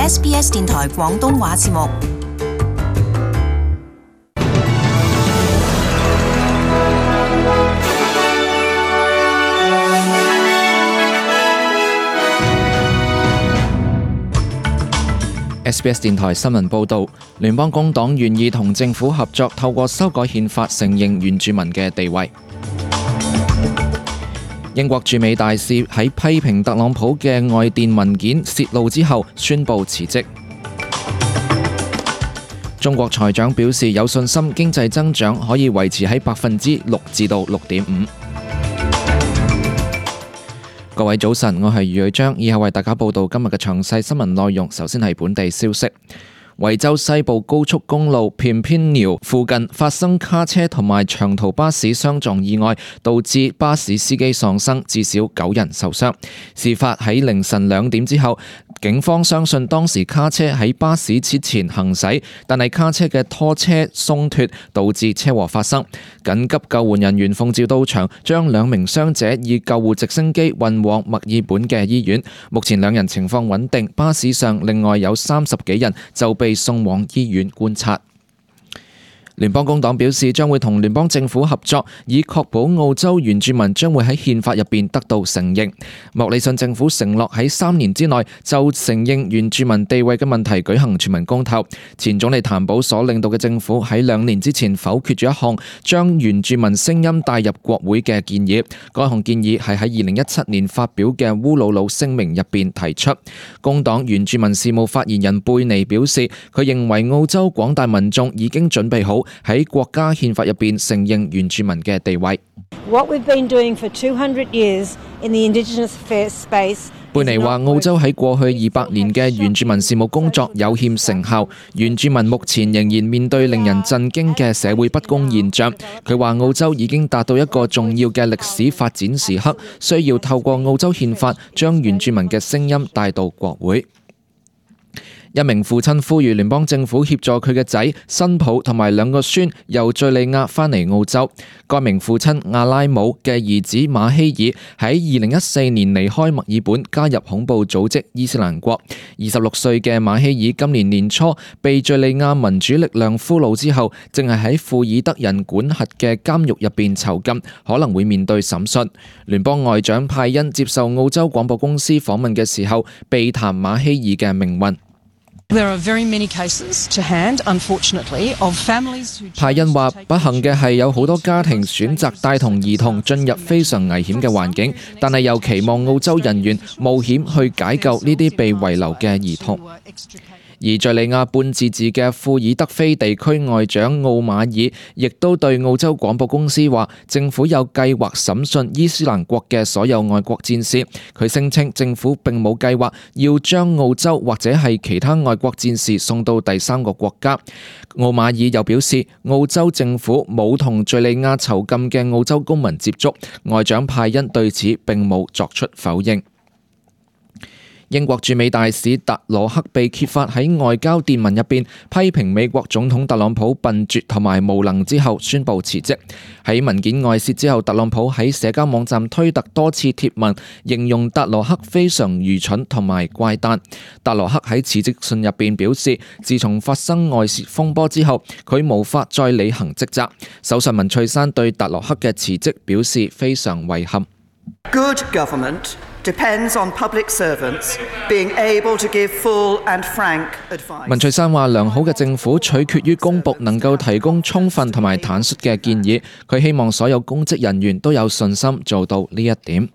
SBS 電台廣東話節目。SBS 電台新聞報導，聯邦工黨願意同政府合作，透過修改憲法承認原住民嘅地位。英國駐美大使喺批評特朗普嘅外電文件洩露之後，宣布辭職。中國財長表示有信心經濟增長可以維持喺6%至到6.5%。各位早晨，我係余瑞章，以後為大家報道今日嘅詳細新聞內容。首先係本地消息。維州西部高速公路片片寮附近發生卡車同埋長途巴士相撞意外，導致巴士司機喪生，至少9人受傷。事發喺凌晨2點之後，警方相信當時卡車喺巴士之前行駛，但係卡車嘅拖車鬆脫，導致車禍發生。緊急救援人員奉召到場，將2名傷者以救護直升機運往墨爾本嘅醫院。目前2人情況穩定，巴士上另外有30幾人就被送往醫院觀察。聯邦工黨表示將會同聯邦政府合作，以確保澳洲原住民將會喺憲法入邊得到承認。莫里遜政府承諾喺3年之內就承認原住民地位嘅問題舉行全民公投。前總理譚寶所領導嘅政府喺2年之前否決咗一項將原住民聲音帶入國會嘅建議。該項建議係喺2017年發表嘅烏魯魯聲明入邊提出。工黨原住民事務發言人貝尼表示，佢認為澳洲廣大民眾已經準備好喺國家憲法入邊承認原住民嘅地位。貝尼話，澳洲喺過去200年嘅原住民事務工作有欠成效，原住民目前仍然面對令人震驚嘅社會不公現象。佢話澳洲已經達到一個重要嘅歷史發展時刻，需要透過澳洲憲法將原住民嘅聲音帶到國會。一名父親呼籲聯邦政府協助佢嘅仔、新抱同埋2個孫由敘利亞返嚟澳洲。該名父親阿拉姆嘅兒子馬希爾喺2014年離開墨爾本，加入恐怖組織伊斯蘭國。26歲嘅馬希爾今年年初被敘利亞民主力量俘虜之後，正係喺庫爾德人管轄嘅監獄入邊囚禁，可能會面對審訊。聯邦外長派恩接受澳洲廣播公司訪問嘅時候，避談馬希爾嘅命運。派恩話，不幸嘅係有好多家庭選擇帶同兒童進入非常危險嘅環境，但係又期望澳洲人員冒險去解救呢啲被遺留嘅兒童。而敘利亞半自治嘅庫爾德菲地區外長奧馬爾亦都對澳洲廣播公司話，政府有計劃審訊伊斯蘭國嘅所有外國戰士。佢聲稱政府並冇計劃要將澳洲或者係其他外國戰士送到第3個國家。奧馬爾又表示，澳洲政府冇同敘利亞囚禁嘅澳洲公民接觸。外長派恩對此並冇作出否認。英國駐美大使達羅克被揭發喺外交電文入邊批評美國總統特朗普笨拙同埋無能之後，宣布辭職。喺文件外泄之後，特朗普喺社交網站推特多次貼文，形容達羅克非常愚蠢同埋怪誕。達羅克喺辭職信入邊表示，自從發生外泄風波之後，佢無法再履行職責。首相文翠珊對達羅克嘅辭職表示非常遺憾。Good government depends on public servants being able to give full and frank advice. 文翠珊話，良好嘅政府取決於公僕能夠提供充分同埋坦率嘅建議。佢希望所有公職人員都有信心做到呢一點。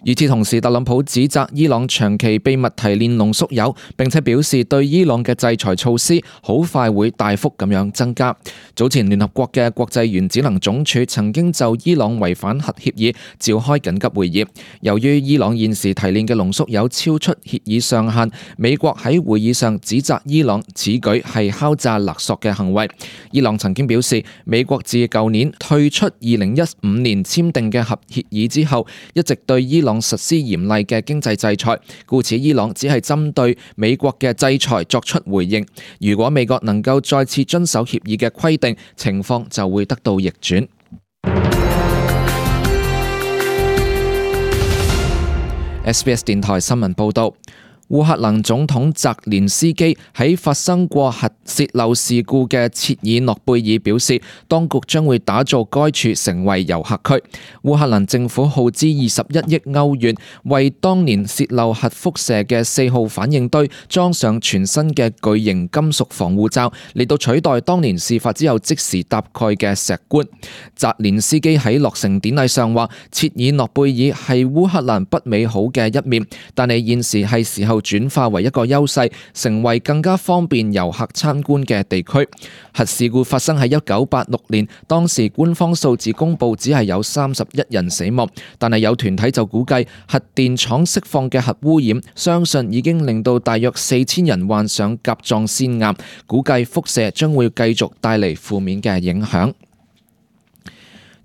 與此同時，特朗普指責伊朗長期秘密提煉濃縮鈾，並且表示對伊朗嘅制裁措施好快會大幅咁樣增加。早前聯合國嘅國際原子能總署曾經就伊朗違反核協議召開緊急會議。由於伊朗現時提煉嘅濃縮鈾超出協議上限，美國喺會議上指責伊朗此舉係敲詐勒索嘅行為。伊朗曾經表示，美國自舊年退出2015年簽訂嘅核協議之後，一直對伊朗實施嚴厲嘅經濟制裁，故此伊朗只係針對美國嘅制裁作出回應。如果美國能夠再次遵守協議嘅規定，情況就會得到逆轉。SBS 電台新聞報道。烏克蘭總統澤連斯基喺發生過核洩漏事故嘅切爾諾貝爾表示，當局將會打造該處成為遊客區。烏克蘭政府耗資21億歐元，為當年洩漏核輻射嘅4號反應堆裝上全新嘅巨型金屬防護罩，嚟到取代當年事發之後即時搭蓋嘅石棺。澤連斯基喺落成典禮上話，切爾諾貝爾係烏克蘭不美好嘅一面，但係現時係時候轉化為一個優勢，成為更加方便遊客參觀嘅地區。核事故發生喺1986年，當時官方數字公佈只係有31人死亡，但係有團體就估計核電廠釋放嘅核污染，相信已經令到大約4000人患上甲狀腺癌，估計輻射將會繼續帶嚟負面嘅影響。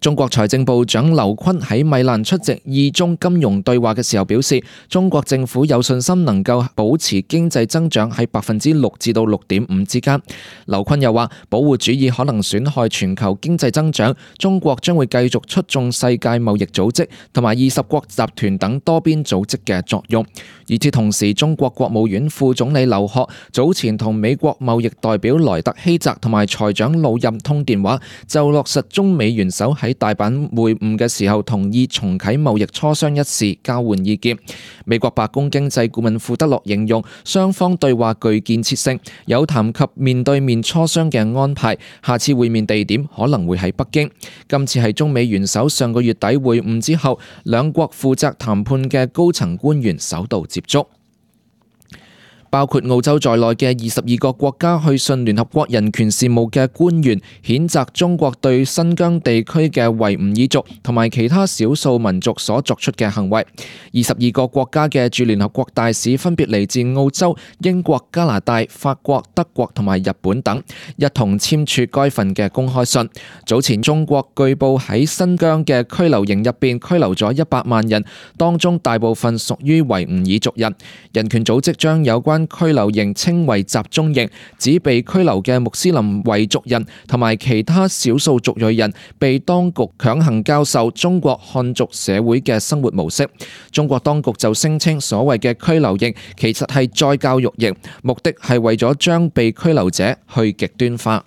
中國財政部長劉昆喺米蘭出席2中金融對話嘅時候表示，中國政府有信心能夠保持經濟增長喺6%至到6.5%之間。劉昆又話，保護主義可能損害全球經濟增長，中國將會繼續促進世界貿易組織同埋20國集團等多邊組織嘅作用。與此同時，中國國務院副總理劉鶴早前同美國貿易代表萊特希澤同埋財長魯任通電話，就落實中美元首喺大阪會晤嘅時候同意重啟貿易磋商一事交換意見。美國白宮經濟顧問庫德洛形容雙方對話具建設性，有談及面對面磋商嘅安排，下次會面地點可能會喺北京。今次係中美元首上個月底會晤之後，兩國負責談判嘅高層官員首度接觸。包括澳洲在內嘅22個國家去信聯合國人權事務嘅官員，譴責中國對新疆地區嘅維吾爾族同埋其他少數民族所作出嘅行為。22個國家嘅駐聯合國大使分別嚟自澳洲、英國、加拿大、法國、德國同埋日本等，一同簽署該份嘅公開信。早前中國據報喺新疆嘅拘留營入邊拘留咗100萬人，當中大部分屬於維吾爾族人。人權組織將有關拘留營稱為集中營，指被拘留嘅穆斯林維族人同埋其他少數族裔人被當局強行教授中國漢族社會嘅生活模式。中國當局就聲稱所謂嘅拘留營其實係再教育營，目的係為咗將被拘留者去極端化。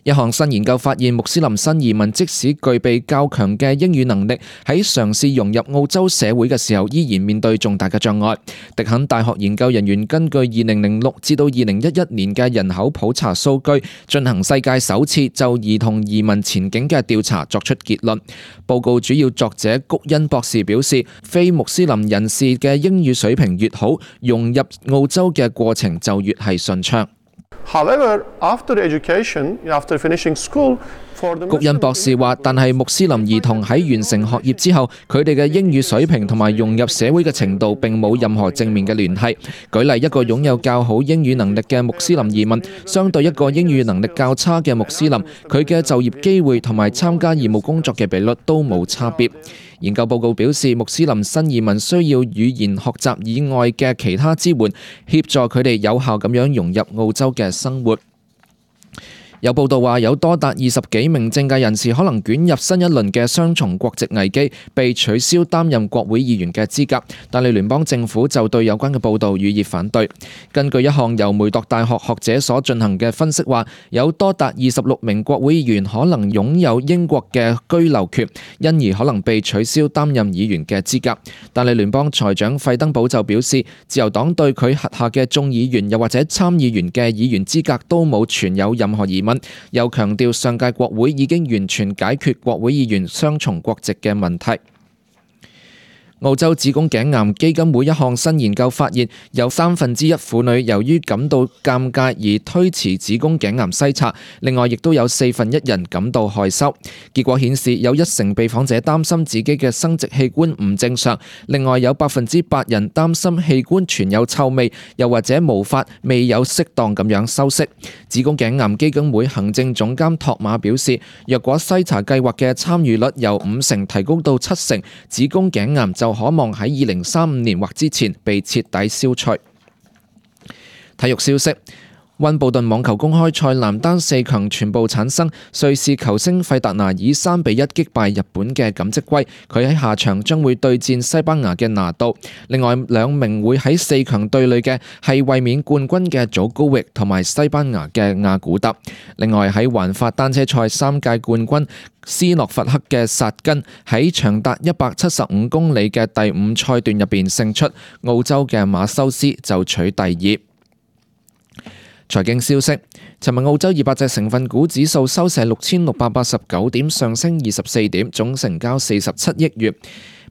一項新研究發現，穆斯林新移民即使具備較強嘅英語能力，喺嘗試融入澳洲社會嘅時候，依然面對重大嘅障礙。迪肯大學研究人員根據2006至到2011年嘅人口普查數據，進行世界首次就兒童移民前景嘅調查，作出結論。報告主要作者谷恩博士表示，非穆斯林人士嘅英語水平越好，融入澳洲嘅過程就越係順暢。However, after education, after finishing school, 谷恩博士話，但係穆斯林兒童喺完成學業之後，佢哋嘅英語水平同埋融入社會嘅程度並冇任何正面嘅聯繫。舉例，一個擁有較好英語能力嘅穆斯林移民，相對一個英語能力較差嘅穆斯林，佢嘅就業機會同埋參加義務工作嘅比率都冇差別。研究報告表示，穆斯林新移民需要語言學習以外嘅其他支援，協助佢哋有效咁樣融入澳洲嘅生活。有報道話，有多達20幾名政界人士可能捲入新一輪嘅雙重國籍危機，被取消擔任國會議員嘅資格。但係聯邦政府就對有關嘅報導予以反對。根據一項由梅鐸大學學者所進行嘅分析話，有多達26名國會議員可能擁有英國嘅居留權，因而可能被取消擔任議員嘅資格。但係聯邦財長費登堡就表示，自由黨對佢轄下嘅眾議員又或者參議員嘅議員資格都冇存有任何疑問。又強調上屆國會已經完全解決國會議員雙重國籍嘅問題。澳洲子宮頸癌基金會一項新研究發現，有1/3婦女由於感到尷尬而推遲子宮頸癌篩查，另外亦都有1/4人感到害羞。結果顯示，有1成被訪者擔心自己嘅生殖器官唔正常，另外有8%人擔心器官存有臭味，又或者毛髮未有適當咁樣修飾。子宮頸癌基金會行政總監托馬表示，若果篩查計劃嘅參與率由5成提高到7成，子宮頸癌就可望喺2035年或之前被徹底消除。體育消息。溫布頓網球公開賽男單4強全部產生，瑞士球星費達拿以3-1擊敗日本嘅錦織圭，佢喺下場將會對戰西班牙嘅拿度。另外兩名會喺4強對壘嘅係衛冕冠軍嘅祖高域同埋西班牙嘅亞古特。另外喺環法單車賽3屆冠軍斯諾伐克嘅薩根喺長達175公里嘅第5賽段入邊勝出，澳洲嘅馬修斯就取第2。財經消息，尋日澳洲200隻成分股指數收市6689點，上升24點，總成交47億元。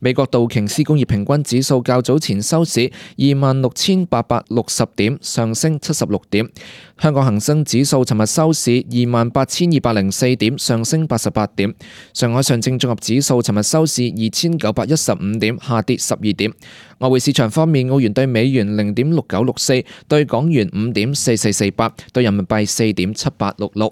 美國道瓊斯工業平均指數較早前收市26,860點，上升76點。香港恒生指數尋日收市28,204點，上升88點。上海上證綜合指數尋日收市2,915點，下跌12點。外匯市場方面，澳元對美元0.6964，對港元5.4448，對人民幣4.7866。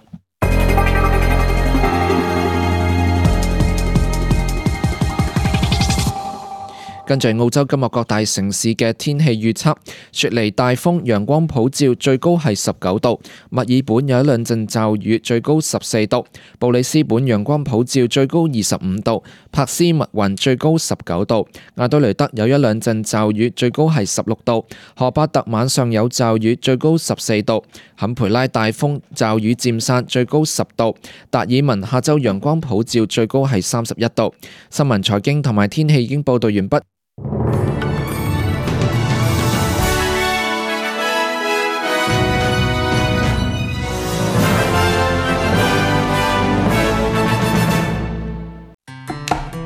跟住澳洲今日各大城市嘅天氣預測：雪梨大風，陽光普照，最高係19度；墨爾本有一兩陣驟雨，最高14度；布里斯本陽光普照，最高25度；珀斯密雲最高19度；亞多雷德有一兩陣驟雨，最高係16度；荷巴特晚上有驟雨，最高14度；坎培拉大風，驟雨漸散，最高10度；達爾文下晝陽光普照，最高係31度。新聞財經同埋天氣已經報道完畢。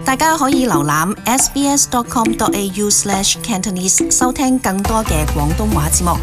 大家可以瀏覽 sbs.com.au/cantonese 收聽更多嘅廣東話節目。